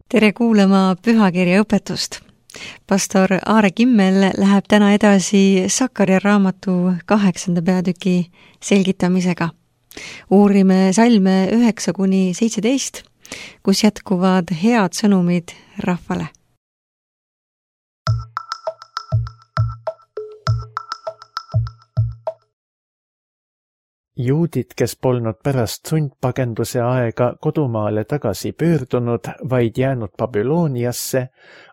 Tere kuulama pühakirja õpetust. Pastor Aare Kimmel läheb täna edasi Sakkaria raamatu 8. peatüki selgitamisega. Uurime salme 9-17, kus jätkuvad head sõnumid rahvale. Juudid, kes polnud pärast sundpagenduse aega kodumaale tagasi pöördunud, vaid jäänud Babyloniasse,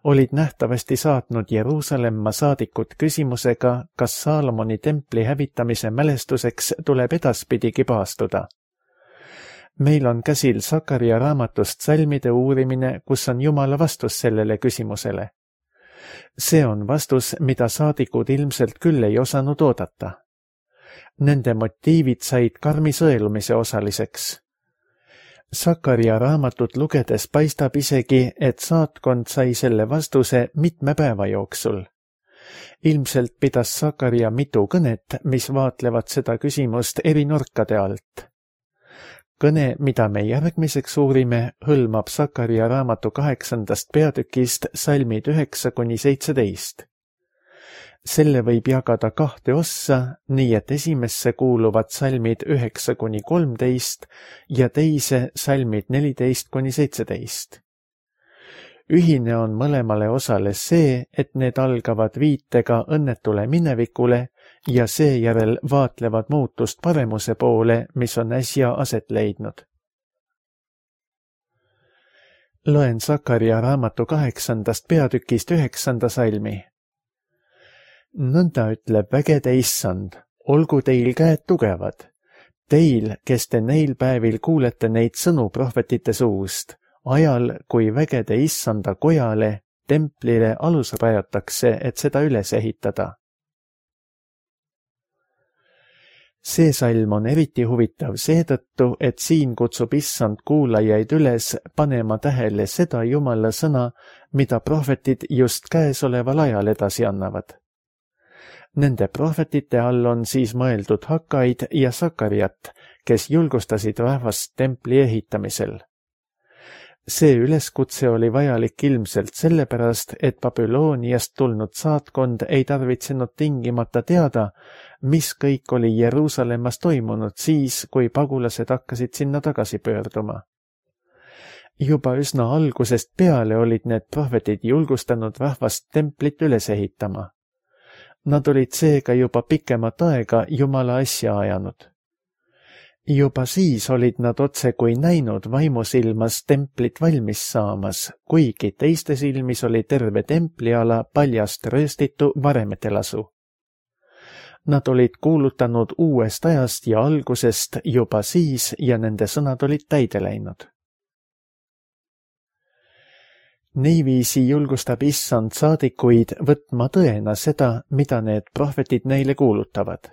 olid nähtavasti saatnud Jeruusalemma saadikud küsimusega, kas Saalomoni templi hävitamise mälestuseks tuleb edaspidigi paastuda. Meil on käsil Sakkaria raamatust salmide uurimine, kus on Jumala vastus sellele küsimusele. See on vastus, mida saadikud ilmselt küll ei osanud oodata. Nende motiivid said karmi sõelumise osaliseks. Sakkaria raamatut lugedes paistab isegi, et saatkond sai selle vastuse mitme päeva jooksul. Ilmselt pidas Sakkaria mitu kõnet, mis vaatlevad seda küsimust eri nurkade alt. Kõne, mida me järgmiseks uurime, hõlmab Sakkaria raamatu 8. peatükist salmid 9-17. Selle võib jagada 2 ossa, nii et esimesse kuuluvad salmid 9-13 ja teise salmid 14-17. Ühine on mõlemale osale see, et need algavad viitega õnnetule minevikule ja seejärel vaatlevad muutust paremuse poole, mis on äsja aset leidnud. Loen Sakkaria raamatu 8. peatükist 9. salmi. Nõnda ütleb vägede issand, olgu teil käed tugevad. Teil, kes te neil päevil kuulete neid sõnu prohvetite suust, ajal, kui vägede issanda kojale, templile alus rajatakse, et seda üles ehitada. See salm on eriti huvitav seetõttu, et siin kutsub issand kuulajaid üles panema tähele seda Jumala sõna, mida prohvetid just käesoleval ajal edasi annavad. Nende prohvetite all on siis mõeldud Hakkaid ja Sakkariat, kes julgustasid rahvast templi ehitamisel. See üleskutse oli vajalik ilmselt sellepärast, et Babyloniast tulnud saatkond ei tarvitsenud tingimata teada, mis kõik oli Jeruusalemmas toimunud siis, kui pagulased hakkasid sinna tagasi pöörduma. Juba üsna algusest peale olid need prohvetid julgustanud rahvast templit üles ehitama. Nad olid seega juba pikemat aega Jumala asja ajanud. Juba siis olid nad otse kui näinud vaimusilmas templit valmis saamas, kuigi teiste silmis oli terve templiala paljast rööstitu varemetelasu. Nad olid kuulutanud uuest ajast ja algusest juba siis ja nende sõnad olid täide läinud. Niiviisi julgustab issand saadikuid võtma tõena seda, mida need prohvetid neile kuulutavad.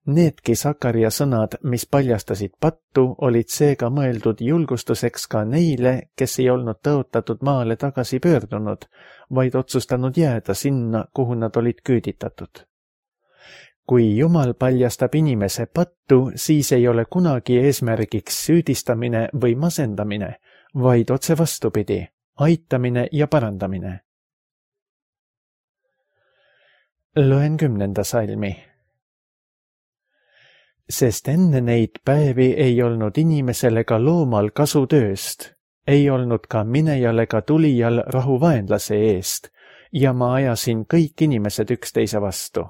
Needki Sakkaria sõnad, mis paljastasid pattu, olid seega mõeldud julgustuseks ka neile, kes ei olnud tõotatud maale tagasi pöördunud, vaid otsustanud jääda sinna, kuhu nad olid küüditatud. Kui Jumal paljastab inimese pattu, siis ei ole kunagi eesmärgiks süüdistamine või masendamine, vaid otse vastupidi. Aitamine ja parandamine. Loen 10. salmi. Sest enne neid päevi ei olnud inimesel ega loomal kasu tööst, ei olnud ka minejal ega tulijal rahu vaenlase eest, ja ma ajasin kõik inimesed üksteise vastu.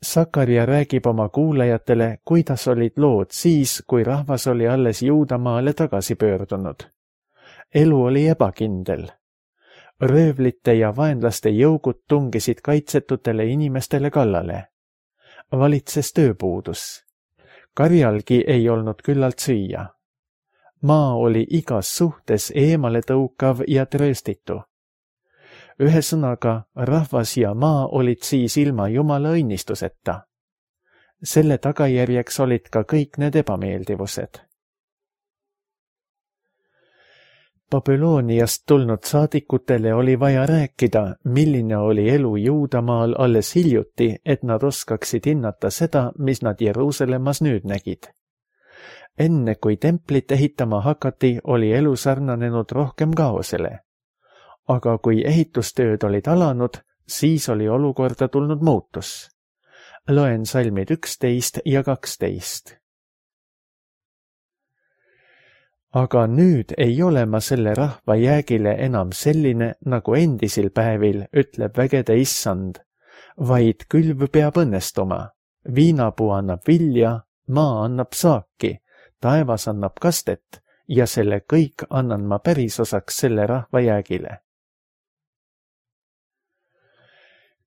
Sakkaria räägib oma kuulajatele, kuidas olid lood siis, kui rahvas oli alles Juudamaale tagasi pöördunud. Elu oli ebakindel. Röövlite ja vaenlaste jõugud tungisid kaitsetutele inimestele kallale. Valitses tööpuudus. Karjalgi ei olnud küllalt süüa. Maa oli igas suhtes eemale tõukav ja trööstitu. Ühesõnaga, rahvas ja maa olid siis ilma Jumala õnnistuseta. Selle tagajärjeks olid ka kõik need ebameeldivused. Babyloniast tulnud saadikutele oli vaja rääkida, milline oli elu Juudamaal alles hiljuti, et nad oskaksid hinnata seda, mis nad Jeruusalemmas nüüd nägid. Enne kui templit ehitama hakati, oli elu sarnanenud rohkem kaosele. Aga kui ehitustööd olid alanud, siis oli olukorda tulnud muutus. Loen salmid 11 ja 12. Aga nüüd ei ole ma selle rahva jäägile enam selline, nagu endisil päevil, ütleb vägede issand, vaid külv peab õnnestuma. Viinapuu annab vilja, maa annab saaki, taevas annab kastet ja selle kõik annan ma pärisosaks selle rahva jäägile.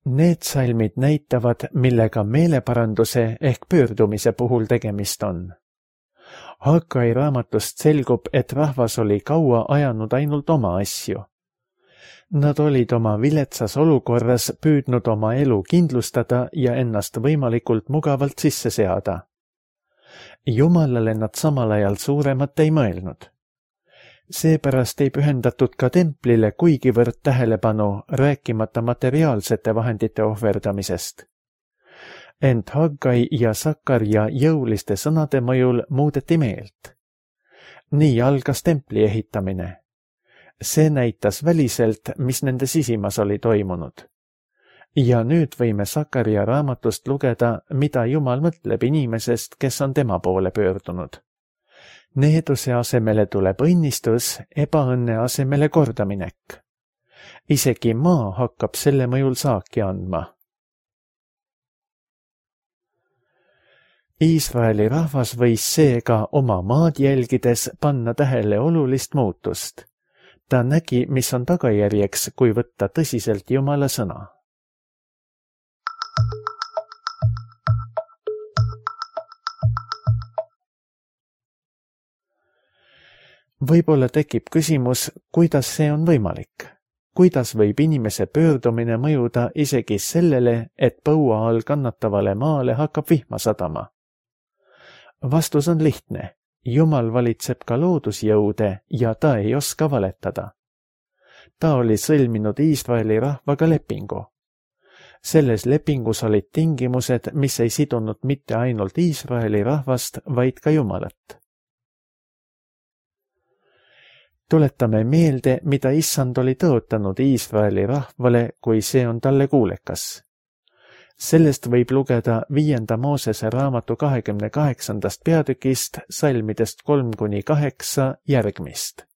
Need salmid näitavad, millega meeleparanduse ehk pöördumise puhul tegemist on. Haggai raamatust selgub, et rahvas oli kaua ajanud ainult oma asju. Nad olid oma viletsas olukorras püüdnud oma elu kindlustada ja ennast võimalikult mugavalt sisse seada. Jumalale nad samal ajal suuremat ei mõelnud. Seepärast ei pühendatud ka templile kuigivõrd tähelepanu, rääkimata materiaalsete vahendite ohverdamisest. Ent Haggai ja Sakkarja jõuliste sõnade mõjul muudeti meelt. Nii algas templi ehitamine. See näitas väliselt, mis nende sisimas oli toimunud. Ja nüüd võime Sakkarja raamatust lugeda, mida Jumal mõtleb inimesest, kes on tema poole pöördunud. Needuse asemele tuleb õnnistus, ebaõnne asemele kordaminek. Isegi maa hakkab selle mõjul saaki andma. Iisraeli rahvas võis seega oma maad jälgides panna tähele olulist muutust. Ta nägi, mis on tagajärjeks, kui võtta tõsiselt Jumala sõna. Võib-olla tekib küsimus, kuidas see on võimalik? Kuidas võib inimese pöördumine mõjuda isegi sellele, et põua all kannatavale maale hakkab vihma sadama? Vastus on lihtne. Jumal valitseb ka loodusjõude ja ta ei oska valetada. Ta oli sõlminud Iisraeli rahvaga lepingu. Selles lepingus olid tingimused, mis ei sidunud mitte ainult Iisraeli rahvast, vaid ka Jumalat. Tuletame meelde, mida issand oli tõotanud Iisraeli rahvale, kui see on talle kuulekas. Sellest võib lugeda 5. Moosese raamatu 28. peatükist, salmidest 3-8 järgmist.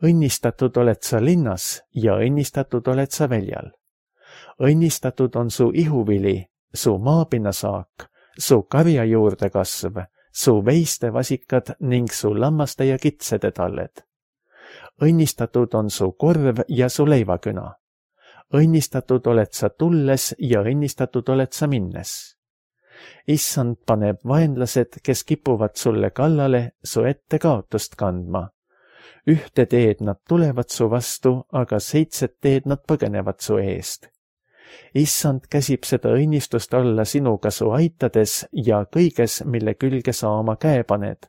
Õnnistatud oled sa linnas ja õnnistatud oled sa väljal. Õnnistatud on su ihuvili, su maapinnasaak, su karja juurde kasv, su veiste vasikad ning su lammaste ja kitsede talled. Õnnistatud on su korv ja su leivaküna. Õnnistatud oled sa tulles ja õnnistatud oled sa minnes. Issand paneb vaenlased, kes kipuvad sulle kallale, su ette kaotust kandma. Ühte teed nad tulevad su vastu, aga 7 teed nad põgenevad su eest. Issand käsib seda õnnistust olla sinuga su aitades ja kõiges, mille külge sa oma käe paned.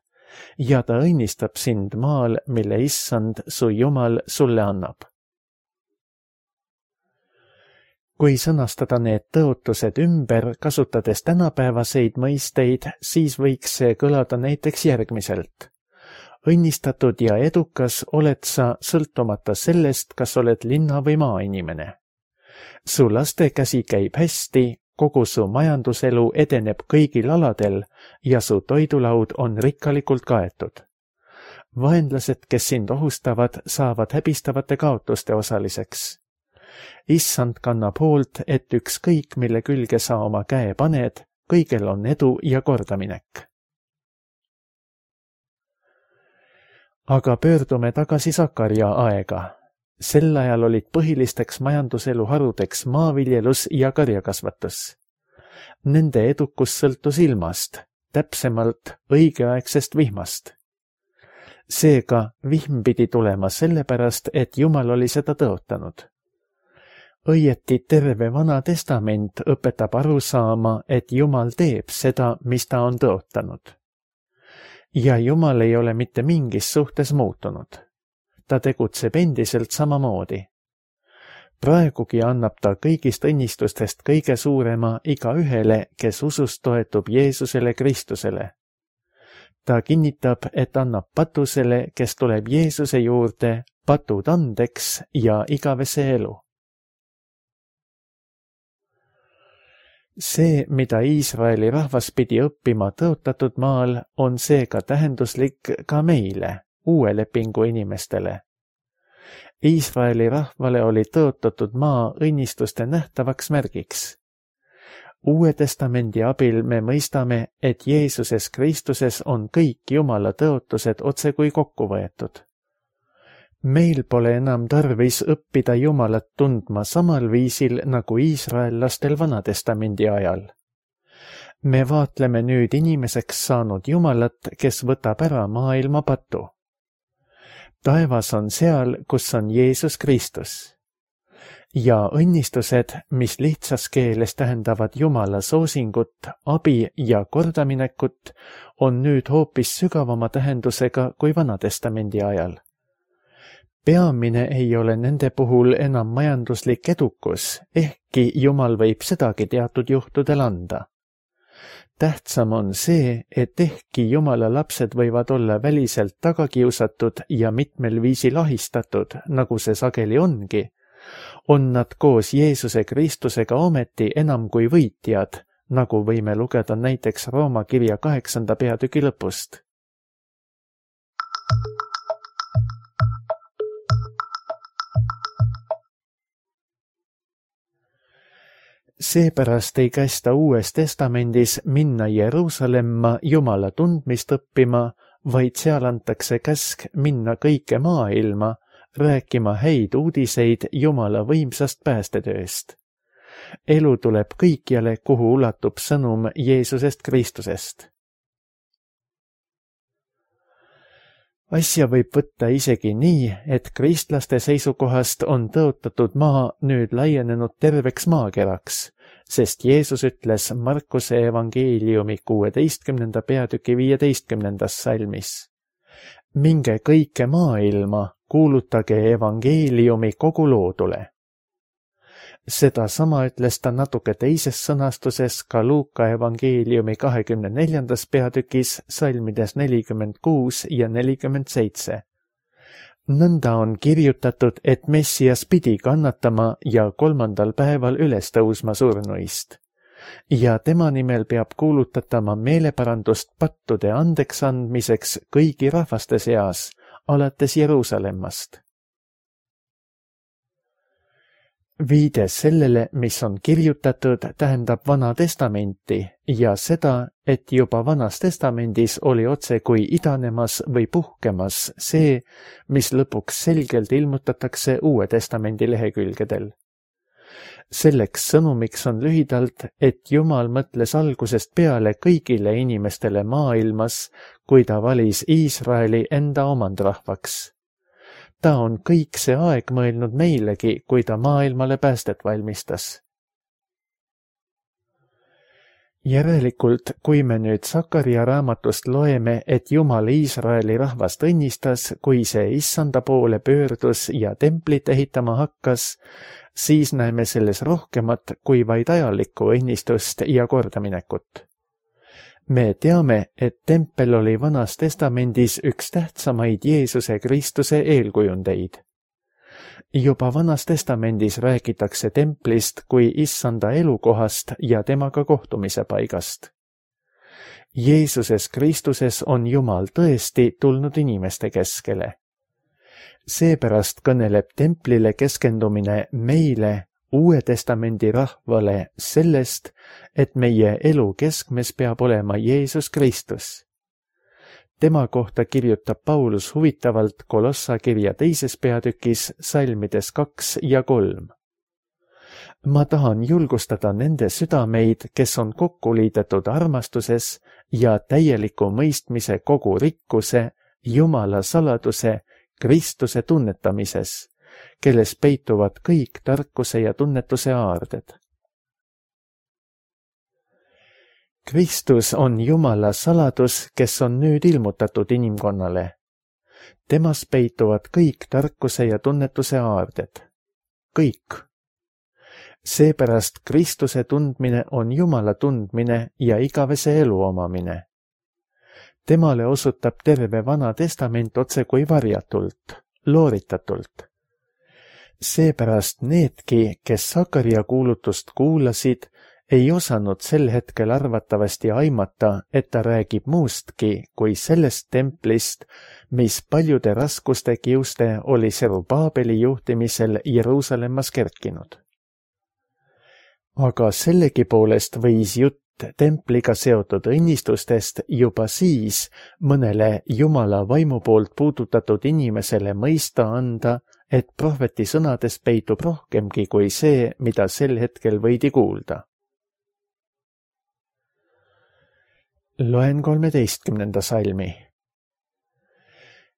Ja ta õnnistab sind maal, mille issand, su Jumal, sulle annab. Kui sõnastada need tõotused ümber, kasutades tänapäevaseid mõisteid, siis võiks see kõlada näiteks järgmiselt. Õnnistatud ja edukas oled sa sõltumata sellest, kas oled linna- või maainimene. Su laste käsi käib hästi, kogu su majanduselu edeneb kõigil aladel ja su toidulaud on rikkalikult kaetud. Vaenlased, kes sind ohustavad, saavad häbistavate kaotuste osaliseks. Issand kannab hoolt, et ükskõik, mille külge sa oma käe paned, kõigel on edu ja kordaminek. Aga pöördume tagasi Sakkarja aega. Sel ajal olid põhilisteks majanduselu harudeks maaviljelus ja karjakasvatus. Nende edukus sõltus ilmast, täpsemalt õigeaegsest vihmast. Seega vihm pidi tulema sellepärast, et Jumal oli seda tõotanud. Õieti terve Vana Testament õpetab aru saama, et Jumal teeb seda, mis ta on tõotanud. Ja Jumal ei ole mitte mingis suhtes muutunud. Ta tegutseb endiselt samamoodi. Praegugi annab ta kõigist õnnistustest kõige suurema igaühele, kes usust toetub Jeesusele Kristusele. Ta kinnitab, et annab patusele, kes tuleb Jeesuse juurde, patud andeks ja igavese elu. See, mida Iisraeli rahvas pidi õppima tõotatud maal, on seega tähenduslik ka meile, uue lepingu inimestele. Iisraeli rahvale oli tõotatud maa õnnistuste nähtavaks märgiks. Uue testamendi abil me mõistame, et Jeesuses Kristuses on kõik Jumala tõotused otsekui kokku võetud. Meil pole enam tarvis õppida Jumalat tundma samal viisil nagu iisraellastel Vanatestamendi ajal. Me vaatleme nüüd inimeseks saanud Jumalat, kes võtab ära maailma patu. Taevas on seal, kus on Jeesus Kristus. Ja õnnistused, mis lihtsas keeles tähendavad Jumala soosingut, abi ja kordaminekut, on nüüd hoopis sügavama tähendusega kui Vanatestamendi ajal. Peamine ei ole nende puhul enam majanduslik edukus, ehkki Jumal võib sedagi teatud juhtudel anda. Tähtsam on see, et ehkki Jumala lapsed võivad olla väliselt tagakiusatud ja mitmel viisil ahistatud, nagu see sageli ongi, on nad koos Jeesuse Kristusega ometi enam kui võitjad, nagu võime lugeda näiteks Rooma kirja 8. peatüki lõpust. Seepärast ei kästa Uues Testamendis minna Jeruusalemma Jumala tundmist õppima, vaid seal antakse käsk minna kõike maailma, rääkima häid uudiseid Jumala võimsast päästetööst. Elu tuleb kõikjale, kuhu ulatub sõnum Jeesusest Kristusest. Asja võib võtta isegi nii, et kristlaste seisukohast on tõotatud maa nüüd laienenud terveks maakeraks, sest Jeesus ütles Markuse evangeeliumi 16. peatüki 15. salmis. Minge kõike maailma, kuulutage evangeeliumi kogu loodule. Sedasama ütles ta natuke teises sõnastuses ka Luuka evangeeliumi 24. peatükis salmides 46 ja 47. Nõnda on kirjutatud, et Messias pidi kannatama ja 3. päeval üles tõusma surnuist. Ja tema nimel peab kuulutatama meeleparandust pattude andeks andmiseks kõigi rahvaste seas, alates Jeruusalemmast. Viide sellele, mis on kirjutatud, tähendab Vana Testamenti ja seda, et juba Vanas Testamendis oli otse kui idanemas või puhkemas see, mis lõpuks selgelt ilmutatakse Uue Testamendi lehekülgedel. Selleks sõnumiks on lühidalt, et Jumal mõtles algusest peale kõigile inimestele maailmas, kui ta valis Iisraeli enda omandrahvaks. Ta on kõik see aeg mõelnud meilegi, kui ta maailmale päästet valmistas. Järelikult, kui me nüüd Sakaria raamatust loeme, et Jumal Iisraeli rahvast õnnistas, kui see issanda poole pöördus ja templit ehitama hakkas, siis näeme selles rohkemat kui vaid ajalikku õnnistust ja kordaminekut. Me teame, et tempel oli Vanas Testamendis üks tähtsamaid Jeesuse Kristuse eelkujundeid. Juba Vanas Testamendis räägitakse templist kui issanda elukohast ja temaga kohtumise paigast. Jeesuses Kristuses on Jumal tõesti tulnud inimeste keskele. Seepärast kõneleb templile keskendumine meile, Uue Testamendi rahvale, sellest, et meie elu keskmes peab olema Jeesus Kristus. Tema kohta kirjutab Paulus huvitavalt Kolossa kirja 2. peatükis salmides 2 ja 3. Ma tahan julgustada nende südameid, kes on kokku liidetud armastuses ja täieliku mõistmise kogu rikkuse, Jumala saladuse, Kristuse tunnetamises, kelles peituvad kõik tarkuse ja tunnetuse aarded. Kristus on Jumala saladus, kes on nüüd ilmutatud inimkonnale. Temas peituvad kõik tarkuse ja tunnetuse aarded. Kõik. Seepärast Kristuse tundmine on Jumala tundmine ja igavese elu omamine. Temale osutab terve Vana Testament otse kui varjatult, looritatult. Seepärast needki, kes Sakaria kuulutust kuulasid, ei osanud sel hetkel arvatavasti aimata, et ta räägib muustki kui sellest templist, mis paljude raskuste kiuste oli Serubaabeli juhtimisel Jeruusalemmas kerkinud. Aga sellegipoolest võis jutt templiga seotud õnnistustest juba siis mõnele Jumala vaimu poolt puudutatud inimesele mõista anda, et prohveti sõnades peitub rohkemgi kui see, mida sel hetkel võidi kuulda. Loen 13. salmi.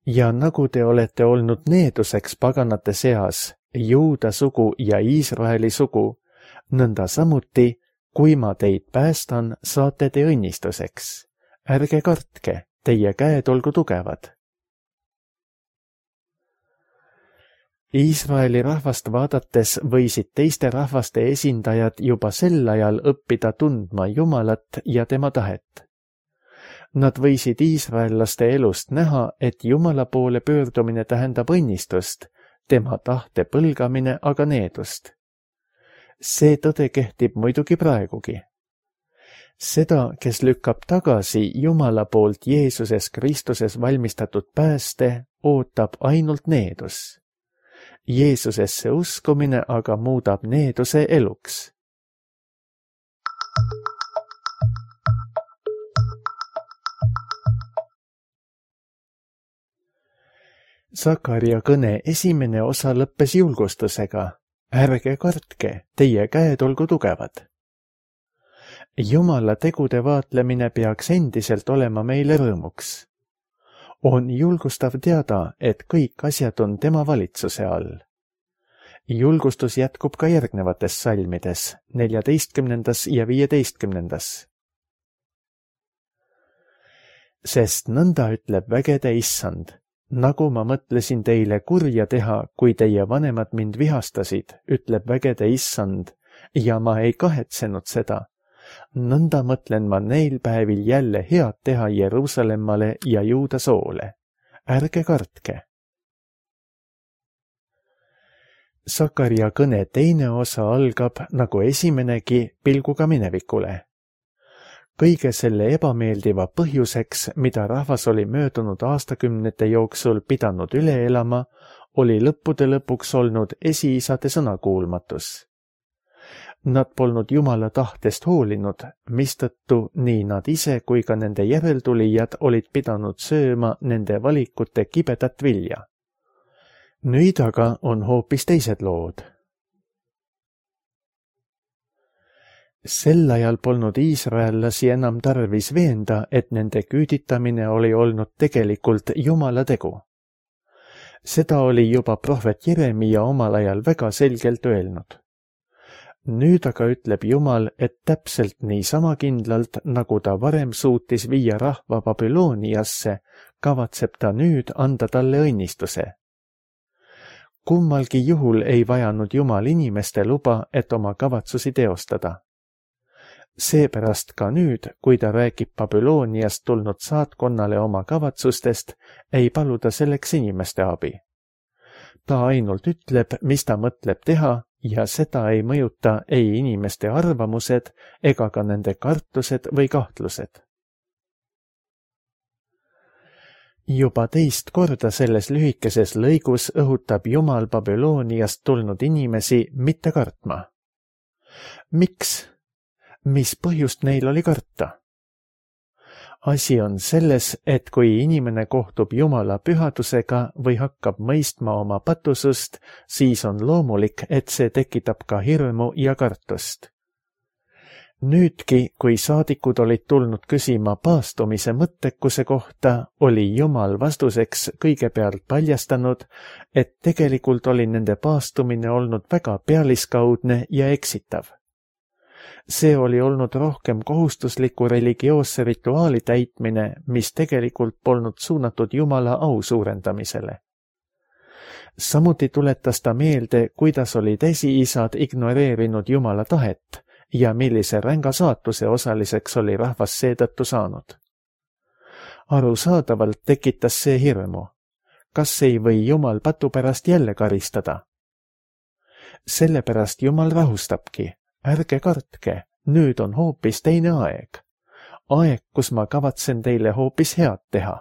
Ja nagu te olete olnud needuseks paganate seas, Juuda sugu ja Iisraeli sugu, nõnda samuti, kui ma teid päästan, saate te õnnistuseks. Ärge kartke, teie käed olgu tugevad. Iisraeli rahvast vaadates võisid teiste rahvaste esindajad juba sel ajal õppida tundma Jumalat ja tema tahet. Nad võisid iisraellaste elust näha, et Jumala poole pöördumine tähendab õnnistust, tema tahte põlgamine aga needust. See tõde kehtib muidugi praegugi. Seda, kes lükkab tagasi Jumala poolt Jeesuses Kristuses valmistatud pääste, ootab ainult needus. Jeesusesse uskumine aga muudab needuse eluks. Sakaria kõne esimene osa lõppes julgustusega. Ärge kartke, teie käed olgu tugevad. Jumala tegude vaatlemine peaks endiselt olema meile rõõmuks. On julgustav teada, et kõik asjad on tema valitsuse all. Julgustus jätkub ka järgnevates salmides, 14. ja 15. Sest nõnda ütleb vägede issand. Nagu ma mõtlesin teile kurja teha, kui teie vanemad mind vihastasid, ütleb vägede issand, ja ma ei kahetsenud seda. Nõnda mõtlen ma neil päevil jälle head teha Jeruusalemmale ja Juuda soole. Ärge kartke. Sakaria kõne teine osa algab, nagu esimenegi, pilguga minevikule. Kõige selle ebameeldiva põhjuseks, mida rahvas oli möödunud aastakümnete jooksul pidanud üle elama, oli lõppude lõpuks olnud esiisade sõnakuulmatus. Nad polnud Jumala tahtest hoolinud, mistõttu nii nad ise kui ka nende järeltulijad olid pidanud sööma nende valikute kibedat vilja. Nüüd aga on hoopis teised lood. Sel ajal polnud iisraellasi enam tarvis veenda, et nende küüditamine oli olnud tegelikult Jumala tegu. Seda oli juba prohvet Jeremia omal ajal väga selgelt öelnud. Nüüd aga ütleb Jumal, et täpselt niisama kindlalt, nagu ta varem suutis viia rahva Babyloniasse, kavatseb ta nüüd anda talle õnnistuse. Kummalgi juhul ei vajanud Jumal inimeste luba, et oma kavatsusi teostada. Seepärast ka nüüd, kui ta räägib Babyloniast tulnud saatkonnale oma kavatsustest, ei paluda selleks inimeste abi. Ta ainult ütleb, mis ta mõtleb teha, ja seda ei mõjuta ei inimeste arvamused ega ka nende kartused või kahtlused. Juba teist korda selles lühikeses lõigus õhutab Jumal Babyloniast tulnud inimesi mitte kartma. Miks? Mis põhjust neil oli karta? Asi on selles, et kui inimene kohtub Jumala pühadusega või hakkab mõistma oma patusust, siis on loomulik, et see tekitab ka hirmu ja kartust. Nüüdki, kui saadikud olid tulnud küsima paastumise mõttekuse kohta, oli Jumal vastuseks kõigepealt paljastanud, et tegelikult oli nende paastumine olnud väga pealiskaudne ja eksitav. See oli olnud rohkem kohustusliku religioosse rituaali täitmine, mis tegelikult polnud suunatud Jumala au suurendamisele. Samuti tuletas ta meelde, kuidas olid esiisad ignoreerinud Jumala tahet ja millise ränga saatuse osaliseks oli rahvas seetõttu saanud. Arusaadavalt tekitas see hirmu. Kas ei või Jumal patu pärast jälle karistada? Sellepärast Jumal rahustabki. Ärge kartke, nüüd on hoopis teine aeg. Aeg, kus ma kavatsen teile hoopis head teha.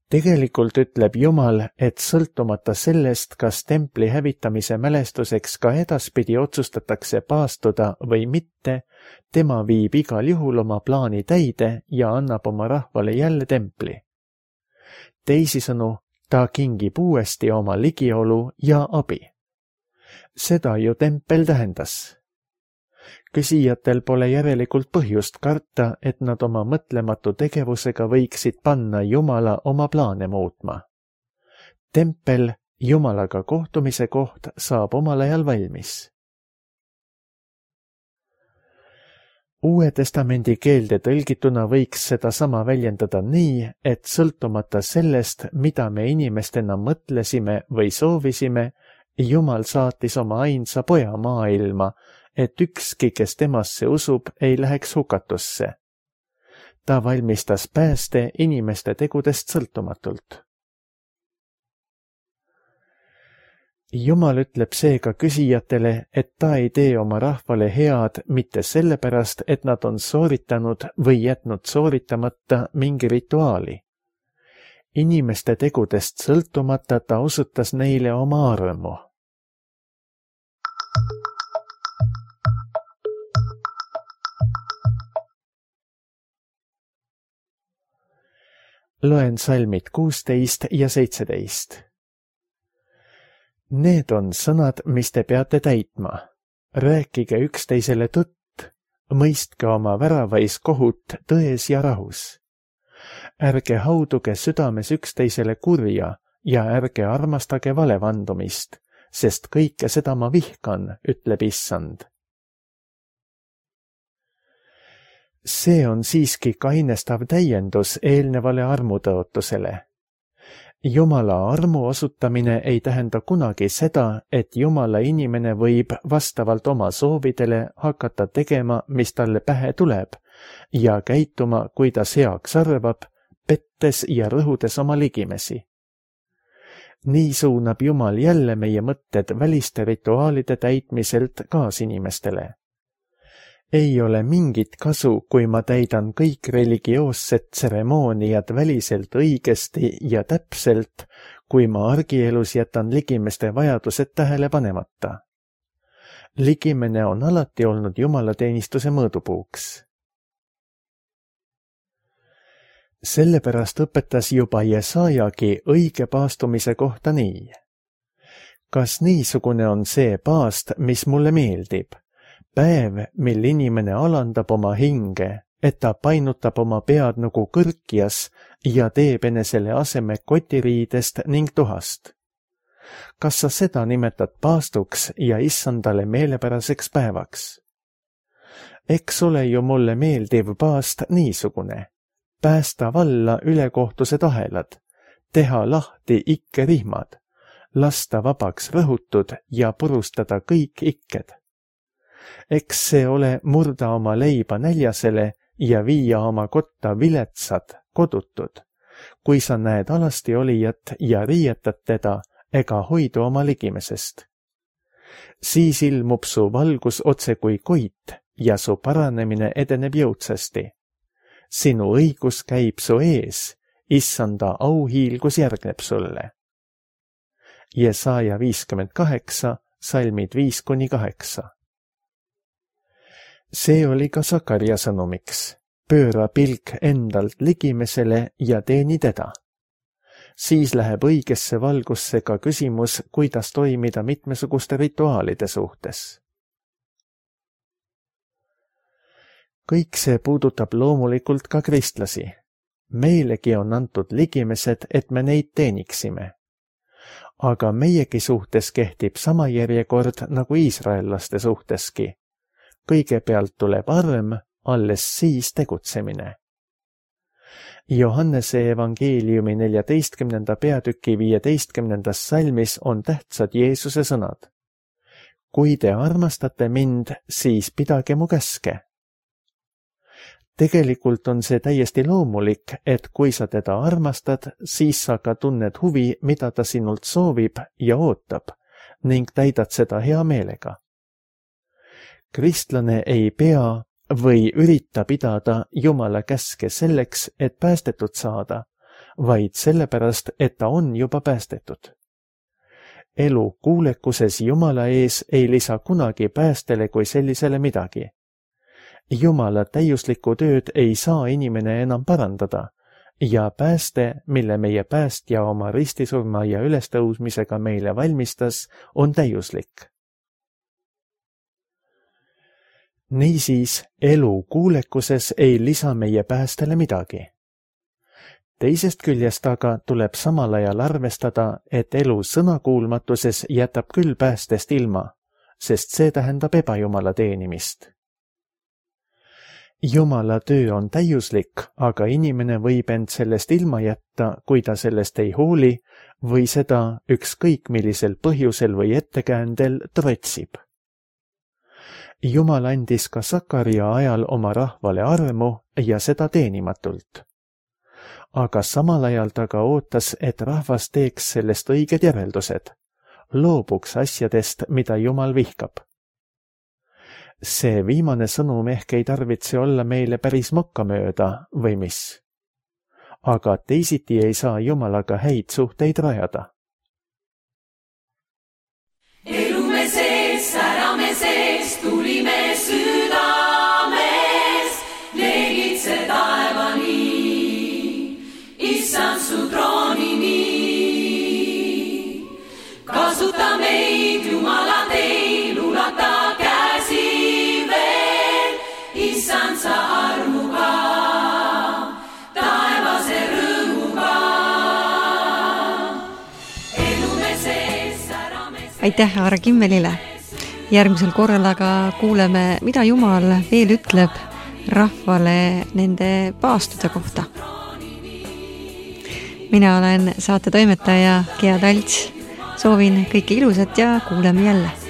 Tegelikult ütleb Jumal, et sõltumata sellest, kas templi hävitamise mälestuseks ka edaspidi otsustatakse paastuda või mitte, tema viib igal juhul oma plaani täide ja annab oma rahvale jälle templi. Teisisõnu, ta kingib uuesti oma ligiolu ja abi. Seda ju tempel tähendas. Küsijatel pole järelikult põhjust karta, et nad oma mõtlematu tegevusega võiksid panna Jumala oma plaane muutma. Tempel, Jumalaga kohtumise koht, saab omal ajal valmis. Uue testamendi keelde tõlgituna võiks seda sama väljendada nii, et sõltumata sellest, mida me inimestena mõtlesime või soovisime, Jumal saatis oma ainsa poja maailma, et ükski, kes temasse usub, ei läheks hukatusse. Ta valmistas pääste inimeste tegudest sõltumatult. Jumal ütleb seega küsijatele, et ta ei tee oma rahvale head mitte sellepärast, et nad on sooritanud või jätnud sooritamata mingi rituaali. Inimeste tegudest sõltumata ta osutas neile oma armu. Loen salmid 16 ja 17. Need on sõnad, mis te peate täitma. Rääkige üksteisele tõtt, mõistke oma väravais kohut tões ja rahus. Ärge hauduge südames üksteisele kurja ja ärge armastage valevandumist, sest kõike seda ma vihkan, ütleb Issand. See on siiski kainestav täiendus eelnevale armutõotusele. Jumala armu osutamine ei tähenda kunagi seda, et Jumala inimene võib vastavalt oma soovidele hakata tegema, mis talle pähe tuleb, ja käituma, kui ta heaks arvab, pettes ja rõhudes oma ligimesi. Nii suunab Jumal jälle meie mõtted väliste rituaalide täitmiselt kaasinimestele. Ei ole mingit kasu, kui ma täidan kõik religioossed tseremooniad väliselt õigesti ja täpselt, kui ma argielus jätan ligimeste vajadused tähele panemata. Ligimene on alati olnud jumalateenistuse mõõdupuuks. Sellepärast õpetas juba Jesaajagi õige paastumise kohta nii. Kas niisugune on see paast, mis mulle meeldib? Päev, mil inimene alandab oma hinge, et ta painutab oma pead nagu kõrkjas ja teeb enesele aseme kotiriidest ning tuhast. Kas sa seda nimetad paastuks ja Issandale meelepäraseks päevaks? Eks ole ju mulle meeldiv paast niisugune. Päästa valla ülekohtused ahelad, teha lahti ikkerihmad, lasta vabaks rõhutud ja purustada kõik ikked. Eks see ole murda oma leiba näljasele ja viia oma kotta viletsad, kodutud. Kui sa näed alasti olijat ja riietad teda, ega hoidu oma ligimesest. Siis ilmub su valgus otse kui koit ja su paranemine edeneb jõudsasti. Sinu õigus käib su ees, Issanda auhiilgus järgneb sulle. Jesaja 58, salmid 5-8. See oli ka Sakarja sõnumiks. Pööra pilk endalt ligimesele ja teeni teda. Siis läheb õigesse valgusse ka küsimus, kuidas toimida mitmesuguste rituaalide suhtes. Kõik see puudutab loomulikult ka kristlasi. Meilegi on antud ligimesed, et me neid teeniksime. Aga meiegi suhtes kehtib sama järjekord nagu iisraellaste suhteski. Kõigepealt tuleb arm, alles siis tegutsemine. Johannese evangeeliumi 14. peatüki 15. salmis on tähtsad Jeesuse sõnad. Kui te armastate mind, siis pidage mu käske. Tegelikult on see täiesti loomulik, et kui sa teda armastad, siis sa ka tunned huvi, mida ta sinult soovib ja ootab ning täidad seda hea meelega. Kristlane ei pea või ürita pidada Jumala käske selleks, et päästetud saada, vaid sellepärast, et ta on juba päästetud. Elu kuulekuses Jumala ees ei lisa kunagi päästele kui sellisele midagi. Jumala täiuslikku tööd ei saa inimene enam parandada ja pääste, mille meie päästja oma ristisurma ja ülestõusmisega meile valmistas, on täiuslik. Niisiis, elu kuulekuses ei lisa meie päästele midagi. Teisest küljest aga tuleb samal ajal arvestada, et elu sõnakuulmatuses jätab küll päästest ilma, sest see tähendab ebajumala teenimist. Jumala töö on täiuslik, aga inimene võib end sellest ilma jätta, kui ta sellest ei hooli või seda ükskõik millisel põhjusel või ettekäändel trotsib. Jumal andis ka Sakaria ajal oma rahvale armu ja seda teenimatult. Aga samal ajal ta ka ootas, et rahvas teeks sellest õiged järeldused, loobuks asjadest, mida Jumal vihkab. See viimane sõnum ehk ei tarvitse olla meile päris mokkamööda või mis. Aga teisiti ei saa Jumalaga häid suhteid rajada. Elume sees, särame sees, tulime südames, leegitse taevani, issand su troonini. Kasuta meid, Jumala teil, ulata issand sa armuga, taevase rõõmuga. Elume sees, särame sees. Aitäh Aare Kimmelile! Järgmisel korral aga kuuleme, mida Jumal veel ütleb rahvale nende paastude kohta. Mina olen saate toimetaja Gea Talts. Soovin kõike ilusat ja kuuleme jälle!